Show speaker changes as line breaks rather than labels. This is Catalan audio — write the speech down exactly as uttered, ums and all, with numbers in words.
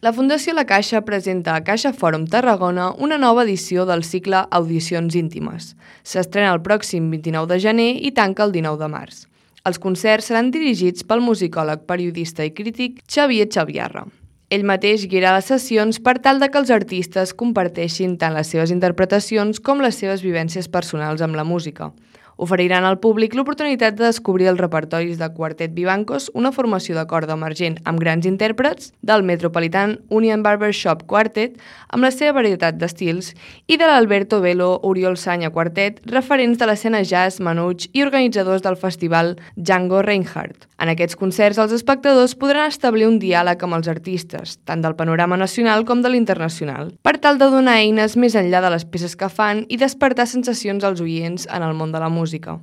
La Fundació La Caixa presenta a Caixa Fòrum Tarragona una nova edició del cicle Audicions íntimes. S'estrena el pròxim vint-i-nou de gener i tanca el dinou de març. Els concerts seran dirigits pel musicòleg, periodista i crític Xavier Xaviarra. Ell mateix guiarà les sessions per tal de que els artistes comparteixin tant les seves interpretacions com les seves vivències personals amb la música. Oferiran al públic l'oportunitat de descobrir els repertoris de Quartet Vivancos, una formació de corda emergent amb grans intèrprets, del Metropolitan Union Barbershop Quartet, amb la seva varietat d'estils, i de l'Alberto Velo Oriol Sanya Quartet, referents de l'escena jazz, manuig i organitzadors del festival Django Reinhardt. En aquests concerts, els espectadors podran establir un diàleg amb els artistes, tant del panorama nacional com de l'internacional, per tal de donar eines més enllà de les peces que fan i despertar sensacions als oients en el món de la música.